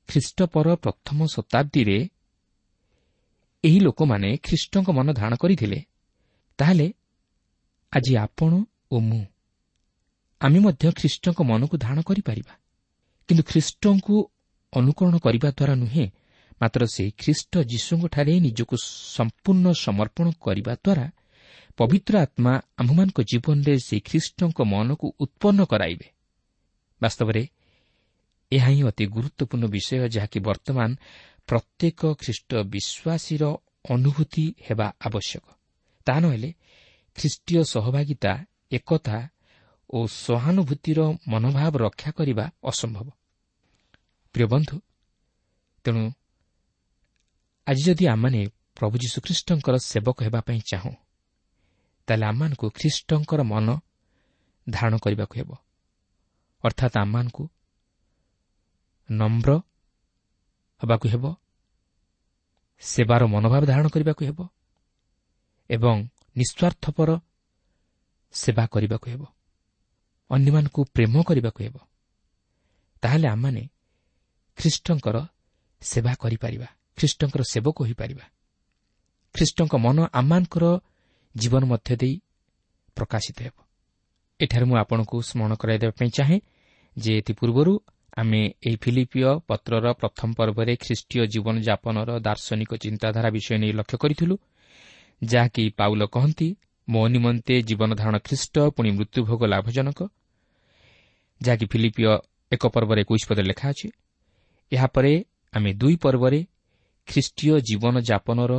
ଖ୍ରୀଷ୍ଟପର ପ୍ରଥମ ଶତାବ୍ଦୀରେ ଏହି ଲୋକମାନେ ଖ୍ରୀଷ୍ଟଙ୍କ ମନ ଧାରଣ କରିଥିଲେ, ତାହେଲେ ଆଜି ଆପଣ ଓ ମୁଁ ଆମେ ମଧ୍ୟ ଖ୍ରୀଷ୍ଟଙ୍କ ମନକୁ ଧାରଣ କରିପାରିବା। କିନ୍ତୁ ଖ୍ରୀଷ୍ଟଙ୍କୁ ଅନୁକରଣ କରିବା ଦ୍ୱାରା ନୁହେଁ, ମାତ୍ର ସେହି ଖ୍ରୀଷ୍ଟ ଯୀଶୁଙ୍କଠାରେ ନିଜକୁ ସମ୍ପୂର୍ଣ୍ଣ ସମର୍ପଣ କରିବା ଦ୍ୱାରା ପବିତ୍ର ଆତ୍ମା ଆମ୍ଭମାନଙ୍କ ଜୀବନରେ ସେହି ଖ୍ରୀଷ୍ଟଙ୍କ ମନକୁ ଉତ୍ପନ୍ନ କରାଇବେ। ବାସ୍ତବରେ ଏହା ହିଁ ଅତି ଗୁରୁତ୍ୱପୂର୍ଣ୍ଣ ବିଷୟ, ଯାହାକି ବର୍ତ୍ତମାନ ପ୍ରତ୍ୟେକ ଖ୍ରୀଷ୍ଟ ବିଶ୍ୱାସୀର ଅନୁଭୂତି ହେବା ଆବଶ୍ୟକ। ତାହା ନହେଲେ ଖ୍ରୀଷ୍ଟୀୟ ସହଭାଗିତା, ଏକତା ଓ ସହାନୁଭୂତିର ମନୋଭାବ ରକ୍ଷା କରିବା ଅସମ୍ଭବ। ପ୍ରିୟ ବନ୍ଧୁ, ତେଣୁ ଆଜି ଯଦି ଆମମାନେ ପ୍ରଭୁ ଯୀଶୁଖ୍ରୀଷ୍ଟଙ୍କର ସେବକ ହେବା ପାଇଁ ଚାହୁଁ, ତାହେଲେ ଆମମାନଙ୍କୁ ଖ୍ରୀଷ୍ଟଙ୍କର ମନ ଧାରଣ କରିବାକୁ ହେବ। ଅର୍ଥାତ୍ ଆମମାନଙ୍କୁ ନମ୍ର ହେବାକୁ ହେବ, ସେବାର ମନୋଭାବ ଧାରଣ କରିବାକୁ ହେବ ଏବଂ ନିଃସ୍ୱାର୍ଥପର ସେବା କରିବାକୁ ହେବ, ଅନ୍ୟମାନଙ୍କୁ ପ୍ରେମ କରିବାକୁ ହେବ। ତାହେଲେ ଆମମାନେ ଖ୍ରୀଷ୍ଟଙ୍କର ସେବା କରିପାରିବା, ଖ୍ରୀଷ୍ଟଙ୍କର ସେବକ ହୋଇପାରିବା। ଖ୍ରୀଷ୍ଟଙ୍କ ମନ ଆମମାନଙ୍କର ଜୀବନ ମଧ୍ୟ ଦେଇ ପ୍ରକାଶିତ ହେବ। ଏଠାରେ ମୁଁ ଆପଣଙ୍କୁ ସ୍ମରଣ କରାଇଦେବା ପାଇଁ ଚାହେଁ ଯେ ଏଥିପୂର୍ବରୁ ଆମେ ଏହି ଫିଲିପିୟ ପତ୍ରର ପ୍ରଥମ ପର୍ବରେ ଖ୍ରୀଷ୍ଟୀୟ ଜୀବନଯାପନର ଦାର୍ଶନିକ ଚିନ୍ତାଧାରା ବିଷୟ ନେଇ ଲକ୍ଷ୍ୟ କରିଥିଲୁ, ଯାହାକି ପାଉଲ କହନ୍ତି, ମୋ ନିମନ୍ତେ ଜୀବନଧାରଣ ଖ୍ରୀଷ୍ଟ, ପୁଣି ମୃତ୍ୟୁଭୋଗ ଲାଭଜନକ, ଯାହାକି ଫିଲିପିୟ ଏକ ପର୍ବରେ ଏକୋଇଶ ପଦରେ ଲେଖା ଅଛି। ଏହାପରେ ଆମେ ଦୁଇ ପର୍ବରେ ଖ୍ରୀଷ୍ଟୀୟ ଜୀବନଯାପନର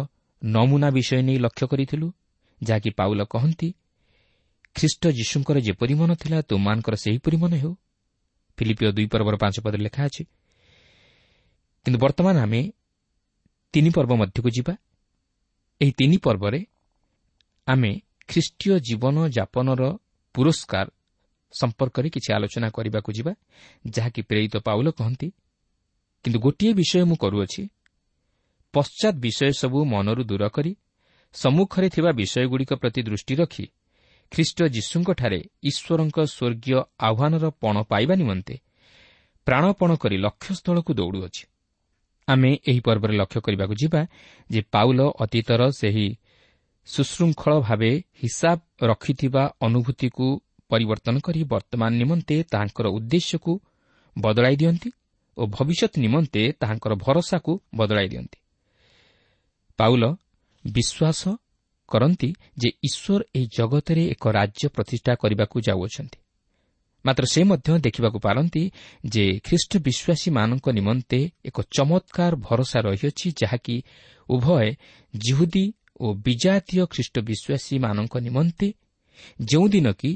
ନମୁନା ବିଷୟ ନେଇ ଲକ୍ଷ୍ୟ କରିଥିଲୁ, ଯାହାକି ପାଉଲ କହନ୍ତି, ଖ୍ରୀଷ୍ଟ ଯୀଶୁଙ୍କର ଯେପରି ମନ ଥିଲା ତୁମମାନଙ୍କର ସେହିପରି ମନ ହେଉ। ଫିଲିପିୟ ଦୁଇ ପର୍ବର ପାଞ୍ଚ ପଦରେ ଲେଖା ଅଛି। କିନ୍ତୁ ବର୍ତ୍ତମାନ ଆମେ ତିନି ପର୍ବ ମଧ୍ୟକୁ ଯିବା। ଏହି ତିନି ପର୍ବରେ ଆମେ ଖ୍ରୀଷ୍ଟୀୟ ଜୀବନଯାପନର ପୁରସ୍କାର ସମ୍ପର୍କରେ କିଛି ଆଲୋଚନା କରିବାକୁ ଯିବା, ଯାହାକି ପ୍ରେରିତ ପାଉଲ କହନ୍ତି, କିନ୍ତୁ ଗୋଟିଏ ବିଷୟ ମୁଁ କରୁଅଛି, ପଶ୍ଚାତ୍ ବିଷୟ ସବୁ ମନରୁ ଦୂର କରି ସମ୍ମୁଖରେ ଥିବା ବିଷୟଗୁଡ଼ିକ ପ୍ରତି ଦୃଷ୍ଟି ରଖି ଖ୍ରୀଷ୍ଟ ଯୀଶୁଙ୍କଠାରେ ଈଶ୍ୱରଙ୍କ ସ୍ୱର୍ଗୀୟ ଆହ୍ୱାନର ପଣ ପାଇବା ନିମନ୍ତେ ପ୍ରାଣପଣ କରି ଲକ୍ଷ୍ୟସ୍ଥଳକୁ ଦୌଡ଼ୁଅଛି। ଆମେ ଏହି ପର୍ବରେ ଲକ୍ଷ୍ୟ କରିବାକୁ ଯିବା ଯେ ପାଉଲ ଅତୀତର ସେହି ସୁଶୃଙ୍ଖଳ ଭାବେ ହିସାବ ରଖିଥିବା ଅନୁଭୂତିକୁ ପରିବର୍ତ୍ତନ କରି ବର୍ତ୍ତମାନ ନିମନ୍ତେ ତାହାଙ୍କର ଉଦ୍ଦେଶ୍ୟକୁ ବଦଳାଇ ଦିଅନ୍ତି ଓ ଭବିଷ୍ୟତ ନିମନ୍ତେ ତାହାଙ୍କର ଭରସାକୁ ବଦଳାଇ ଦିଅନ୍ତି। ପାଉଲ ବିଶ୍ୱାସ କରନ୍ତି ଯେ ଈଶ୍ୱର ଏହି ଜଗତରେ ଏକ ରାଜ୍ୟ ପ୍ରତିଷ୍ଠା କରିବାକୁ ଯାଉଅଛନ୍ତି। ମାତ୍ର ସେ ମଧ୍ୟ ଦେଖିବାକୁ ପାରନ୍ତି ଯେ ଖ୍ରୀଷ୍ଟ ବିଶ୍ୱାସୀମାନଙ୍କ ନିମନ୍ତେ ଏକ ଚମତ୍କାର ଭରସା ରହିଅଛି, ଯାହାକି ଉଭୟ ଯିହୁଦୀ ଓ ବିଜାତୀୟ ଖ୍ରୀଷ୍ଟ ବିଶ୍ୱାସୀମାନଙ୍କ ନିମନ୍ତେ, ଯେଉଁଦିନ କି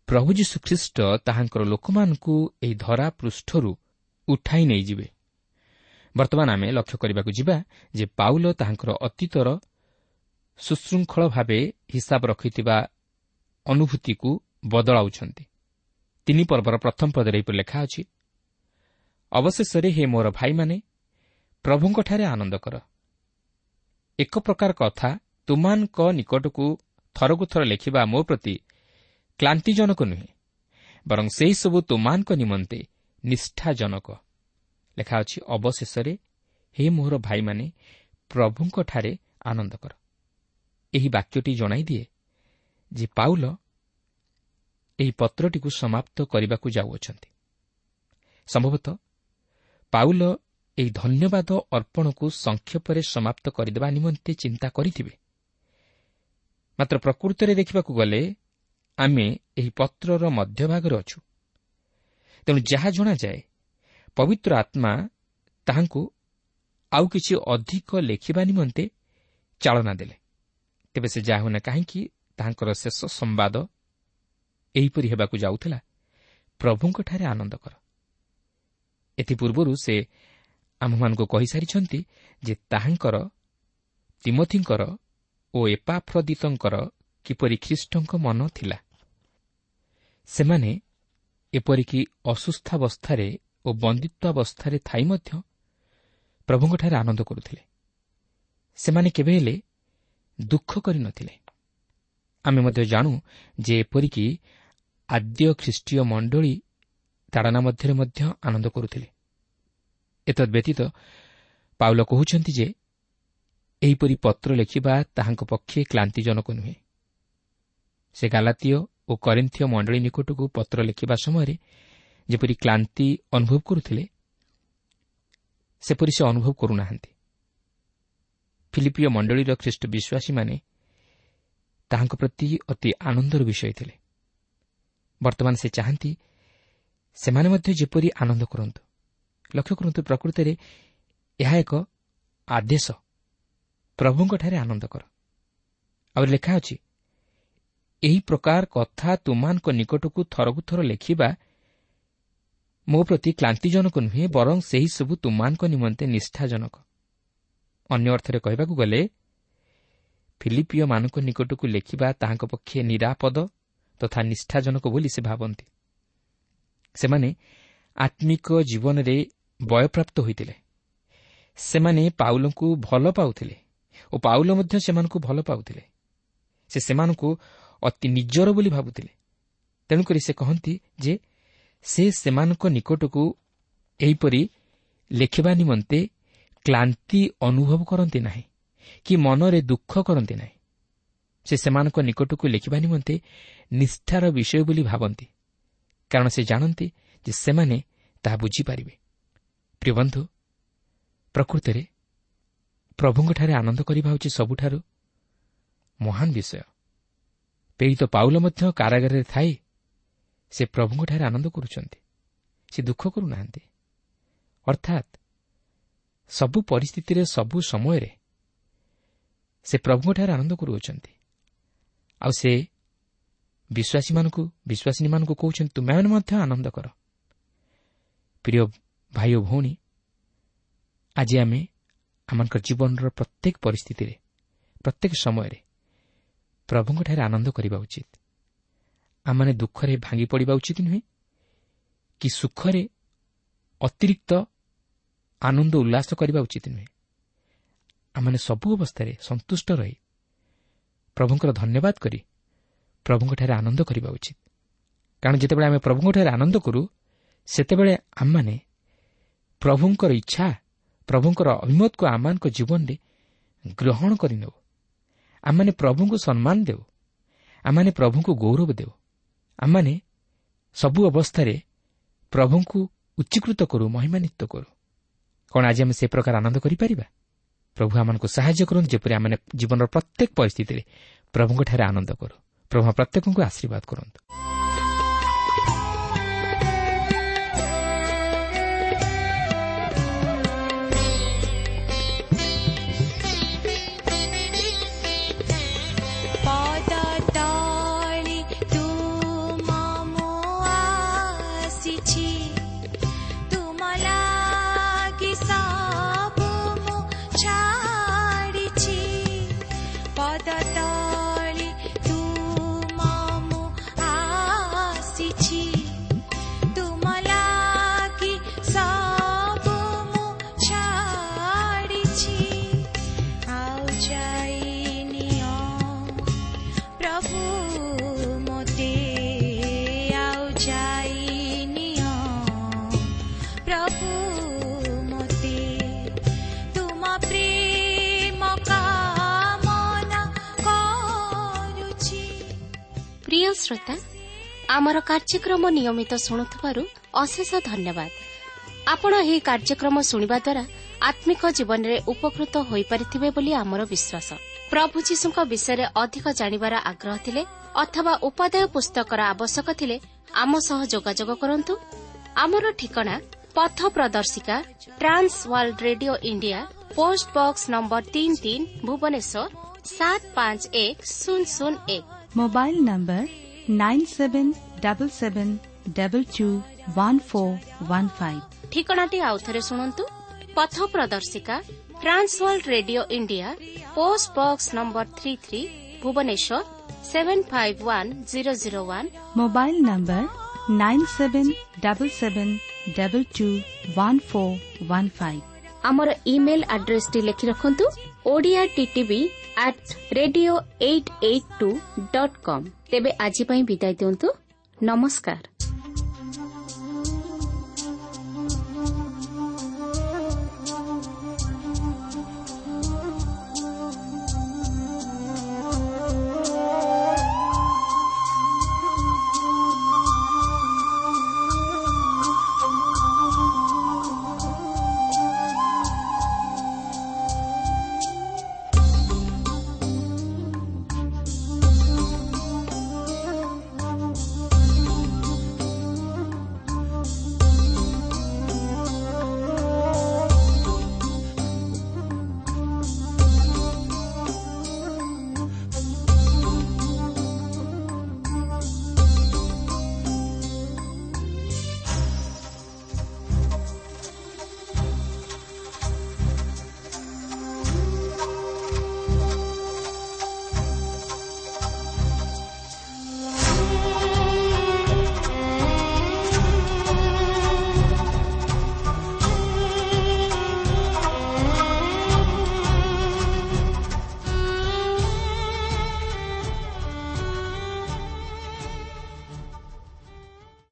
ପ୍ରଭୁ ଯୀଶୁ ଖ୍ରୀଷ୍ଟ ତାହାଙ୍କର ଲୋକମାନଙ୍କୁ ଏହି ଧରା ପୃଷ୍ଠରୁ ଉଠାଇ ନେଇଯିବେ। ବର୍ତ୍ତମାନ ଆମେ ଲକ୍ଷ୍ୟ କରିବାକୁ ଯିବା ଯେ ପାଉଲ ତାହାଙ୍କର ଅତୀତର ସୁଶୃଙ୍ଖଳ ଭାବେ ହିସାବ ରଖିଥିବା ଅନୁଭୂତିକୁ ବଦଳାଉଛନ୍ତି। ତିନି ପର୍ବର ପ୍ରଥମ ପଦରେ ଏହିପରି ଲେଖା ଅଛି, ଅବଶେଷରେ ହେ ମୋର ଭାଇମାନେ, ପ୍ରଭୁଙ୍କଠାରେ ଆନନ୍ଦ କର। ଏକ ପ୍ରକାର କଥା ତୁମାନଙ୍କ ନିକଟକୁ ଥରକୁ ଥର ଲେଖିବା ମୋ ପ୍ରତି କ୍ଳାନ୍ତିଜନକ ନୁହେଁ, ବରଂ ସେହିସବୁ ତୁମାନଙ୍କ ନିମନ୍ତେ ନିଷ୍ଠାଜନକ। ଲେଖା ଅଛି, ଅବଶେଷରେ ହେ ମୋର ଭାଇମାନେ, ପ୍ରଭୁଙ୍କଠାରେ ଆନନ୍ଦ କର। ଏହି ବାକ୍ୟଟି ଜଣାଇ ଦିଏ ଯେ ପାଉଲ ଏହି ପତ୍ରଟିକୁ ସମାପ୍ତ କରିବାକୁ ଯାଉଅଛନ୍ତି। ସମ୍ଭବତଃ ପାଉଲ ଏହି ଧନ୍ୟବାଦ ଅର୍ପଣକୁ ସଂକ୍ଷେପରେ ସମାପ୍ତ କରିଦେବା ନିମନ୍ତେ ଚିନ୍ତା କରିଥିବେ। ମାତ୍ର ପ୍ରକୃତରେ ଦେଖିବାକୁ ଗଲେ ଆମେ ଏହି ପତ୍ରର ମଧ୍ୟଭାଗରେ ଅଛୁ। ତେଣୁ ଯାହା ଜଣାଯାଏ, ପବିତ୍ର ଆତ୍ମା ତାହାଙ୍କୁ ଆଉ କିଛି ଅଧିକ ଲେଖିବା ନିମନ୍ତେ ଚାଳନା ଦେଲେ। ତେବେ ସେ ଯାହା ହେଉନା କାହିଁକି, ତାହାଙ୍କର ଶେଷ ସମ୍ବାଦ ଏହିପରି ହେବାକୁ ଯାଉଥିଲା, ପ୍ରଭୁଙ୍କଠାରେ ଆନନ୍ଦ କର। ଏଥିପୂର୍ବରୁ ସେ ଆମ୍ଭମାନଙ୍କୁ କହିସାରିଛନ୍ତି ଯେ ତାହାଙ୍କର, ତିମୋଥିଙ୍କର ଓ ଏପାଫ୍ରଦିତଙ୍କର କିପରି ଖ୍ରୀଷ୍ଟଙ୍କ ମନ ଥିଲା। ସେମାନେ ଏପରିକି ଅସୁସ୍ଥାବସ୍ଥାରେ ଓ ବନ୍ଦିତ୍ୱାବସ୍ଥାରେ ଥାଇ ମଧ୍ୟ ପ୍ରଭୁଙ୍କଠାରେ ଆନନ୍ଦ କରୁଥିଲେ। ସେମାନେ କେବେ ହେଲେ ଦୁଃଖ କରିନଥିଲେ। ଆମେ ମଧ୍ୟ ଜାଣୁ ଯେ ଏପରିକି ଆଦ୍ୟ ଖ୍ରୀଷ୍ଟୀୟ ମଣ୍ଡଳୀ ତାଡ଼ନା ମଧ୍ୟରେ ମଧ୍ୟ ଆନନ୍ଦ କରୁଥିଲେ। ଏତଦ୍ ବ୍ୟତୀତ ପାଉଲ କହୁଛନ୍ତି ଯେ ଏହିପରି ପତ୍ର ଲେଖିବା ତାହାଙ୍କ ପକ୍ଷେ କ୍ଳାନ୍ତିଜନକ ନୁହେଁ। ସେ ଗାଲାତୀୟ ଓ କରିନ୍ଥୀୟ ମଣ୍ଡଳୀ ନିକଟକୁ ପତ୍ର ଲେଖିବା ସମୟରେ ଯେପରି କ୍ଳାନ୍ତି ଅନୁଭବ କରୁଥିଲେ, ସେପରି ସେ ଅନୁଭବ କରୁନାହାନ୍ତି। ଫିଲିପିୟ ମଣ୍ଡଳୀର ଖ୍ରୀଷ୍ଟ ବିଶ୍ୱାସୀମାନେ ତାହାଙ୍କ ପ୍ରତି ଅତି ଆନନ୍ଦର ବିଷୟ ଥିଲେ। ବର୍ତ୍ତମାନ ସେ ଚାହାନ୍ତି ସେମାନେ ମଧ୍ୟ ଯେପରି ଆନନ୍ଦ କରନ୍ତୁ। ଲକ୍ଷ୍ୟ କରନ୍ତୁ, ପ୍ରକୃତରେ ଏହା ଏକ ଆଦେଶ, ପ୍ରଭୁଙ୍କଠାରେ ଆନନ୍ଦ କର। ଆଉ ଲେଖା ଅଛି, ଏହି ପ୍ରକାର କଥା ତୁମମାନଙ୍କ ନିକଟକୁ ଥରକୁ ଥର ଲେଖିବା ମୋ ପ୍ରତି କ୍ଳାନ୍ତିଜନକ ନୁହେଁ, ବରଂ ସେହିସବୁ ତୁମମାନଙ୍କ ନିମନ୍ତେ ନିଷ୍ଠାଜନକ। ଅନ୍ୟ ଅର୍ଥରେ କହିବାକୁ ଗଲେ, ଫିଲିପିୟମାନଙ୍କ ନିକଟକୁ ଲେଖିବା ତାହାଙ୍କ ପକ୍ଷେ ନିରାପଦ ତଥା ନିଷ୍ଠାଜନକ ବୋଲି ସେ ଭାବନ୍ତି। ସେମାନେ ଆତ୍ମିକ ଜୀବନରେ ବୟପ୍ରାପ୍ତ ହୋଇଥିଲେ। ସେମାନେ ପାଉଲଙ୍କୁ ଭଲ ପାଉଥିଲେ ଓ ପାଉଲ ମଧ୍ୟ ସେମାନଙ୍କୁ ଭଲ ପାଉଥିଲେ। ସେ ସେମାନଙ୍କୁ ଅତି ନିଜର ବୋଲି ଭାବୁଥିଲେ। ତେଣୁକରି ସେ କହନ୍ତି ଯେ ସେ ସେମାନଙ୍କ ନିକଟକୁ ଏହିପରି ଲେଖିବା ନିମନ୍ତେ କ୍ଳାନ୍ତି ଅନୁଭବ କରନ୍ତି ନାହିଁ କି ମନରେ ଦୁଃଖ କରନ୍ତି ନାହିଁ। ସେ ସେମାନଙ୍କ ନିକଟକୁ ଲେଖିବା ନିମନ୍ତେ ନିଷ୍ଠାର ବିଷୟ ବୋଲି ଭାବନ୍ତି, କାରଣ ସେ ଜାଣନ୍ତି ଯେ ସେମାନେ ତାହା ବୁଝିପାରିବେ। ପ୍ରିୟ ବନ୍ଧୁ, ପ୍ରକୃତରେ ପ୍ରଭୁଙ୍କଠାରେ ଆନନ୍ଦ କରିବା ହେଉଛି ସବୁଠାରୁ ମହାନ ବିଷୟ। ପ୍ରେରିତ ପାଉଲ ମଧ୍ୟ କାରାଗାରରେ ଥାଇ ସେ ପ୍ରଭୁଙ୍କଠାରେ ଆନନ୍ଦ କରୁଛନ୍ତି, ସେ ଦୁଃଖ କରୁନାହାନ୍ତି। ଅର୍ଥାତ୍ ସବୁ ପରିସ୍ଥିତିରେ, ସବୁ ସମୟରେ ସେ ପ୍ରଭୁଙ୍କଠାରେ ଆନନ୍ଦ କରୁଅଛନ୍ତି। ଆଉ ସେ ବିଶ୍ୱାସୀମାନଙ୍କୁ ବିଶ୍ୱାସିନୀମାନଙ୍କୁ କହୁଛନ୍ତି, ତୁମେମାନେ ମଧ୍ୟ ଆନନ୍ଦ କର। ପ୍ରିୟ ଭାଇ ଓ ଭଉଣୀ, ଆଜି ଆମେ ଆମମାନଙ୍କ ଜୀବନର ପ୍ରତ୍ୟେକ ପରିସ୍ଥିତିରେ, ପ୍ରତ୍ୟେକ ସମୟରେ ପ୍ରଭୁଙ୍କଠାରେ ଆନନ୍ଦ କରିବା ଉଚିତ। ଆମମାନେ ଦୁଃଖରେ ଭାଙ୍ଗି ପଡ଼ିବା ଉଚିତ ନୁହେଁ କି ସୁଖରେ ଅତିରିକ୍ତ ଆନନ୍ଦ ଉଲ୍ଲାସ କରିବା ଉଚିତ ନୁହେଁ। ଆମମାନେ ସବୁ ଅବସ୍ଥାରେ ସନ୍ତୁଷ୍ଟ ରହି ପ୍ରଭୁଙ୍କର ଧନ୍ୟବାଦ କରି ପ୍ରଭୁଙ୍କଠାରେ ଆନନ୍ଦ କରିବା ଉଚିତ। କାରଣ ଯେତେବେଳେ ଆମେ ପ୍ରଭୁଙ୍କଠାରେ ଆନନ୍ଦ କରୁ, ସେତେବେଳେ ଆମମାନେ ପ୍ରଭୁଙ୍କର ଇଚ୍ଛା, ପ୍ରଭୁଙ୍କର ଅଭିମତକୁ ଆମମାନଙ୍କ ଜୀବନରେ ଗ୍ରହଣ କରିନେଉ। ଆମମାନେ ପ୍ରଭୁଙ୍କୁ ସମ୍ମାନ ଦେଉ, ଆମମାନେ ପ୍ରଭୁଙ୍କୁ ଗୌରବ ଦେଉ, ଆମମାନେ ସବୁ ଅବସ୍ଥାରେ ପ୍ରଭୁଙ୍କୁ ଉଚ୍ଚୀକୃତ କରୁ, ମହିମାନ୍ୱିତ କରୁ। କ'ଣ ଆଜି ଆମେ ସେ ପ୍ରକାର ଆନନ୍ଦ କରିପାରିବା? ପ୍ରଭୁ ଆମମାନଙ୍କୁ ସାହାଯ୍ୟ କରନ୍ତୁ ଯେପରି ଆମେ ଜୀବନର ପ୍ରତ୍ୟେକ ପରିସ୍ଥିତିରେ ପ୍ରଭୁଙ୍କଠାରେ ଆନନ୍ଦ କରୁ। ପ୍ରଭୁ ପ୍ରତ୍ୟେକଙ୍କୁ ଆଶୀର୍ବାଦ କରନ୍ତୁ। ପ୍ରିୟ ଶ୍ରୋତା, ଆମର କାର୍ଯ୍ୟକ୍ରମ ନିୟମିତ ଶୁଣୁଥିବାରୁ ଅଶେଷ ଧନ୍ୟବାଦ। ଆପଣ ଏହି କାର୍ଯ୍ୟକ୍ରମ ଶୁଣିବା ଦ୍ୱାରା ଆତ୍ମିକ ଜୀବନରେ ଉପକୃତ ହୋଇପାରିଥିବେ ବୋଲି ଆମର ବିଶ୍ୱାସ। ପ୍ରଭୁ ଯୀଶୁଙ୍କ ବିଷୟରେ ଅଧିକ ଜାଣିବାର ଆଗ୍ରହ ଥିଲେ ଅଥବା ଉପାଦେୟ ପୁସ୍ତକର ଆବଶ୍ୟକ ଥିଲେ ଆମ ସହ ଯୋଗାଯୋଗ କରନ୍ତୁ। ଆମର ଠିକଣା ପଥ ପ୍ରଦର୍ଶିକା, Trans World Radio India, post box number ତିନି ତିନି, ଭୁବନେଶ୍ୱର ସାତ ପାଞ୍ଚ ଏକ ଶୂନ ଶୂନ ଏକ। Mobile number nine seven double seven double two one four one five. ଠିକଣାଟି ଆଉଥରେ ଶୁଣନ୍ତୁ। ପଥ ପ୍ରଦର୍ଶିକା, Trans World Radio India, post box number three three, Bhubaneswar seven five one zero zero one. Mobile number nine seven double seven double two one four one five. ଆମର email ଆଡ୍ରେସଟି ଲେଖି ରଖନ୍ତୁ, Odia TTV at radio eight eight two dot com. ତେବେ ଆଜି ପାଇଁ ବିଦାୟ ଦିଅନ୍ତୁ। ନମସ୍କାର।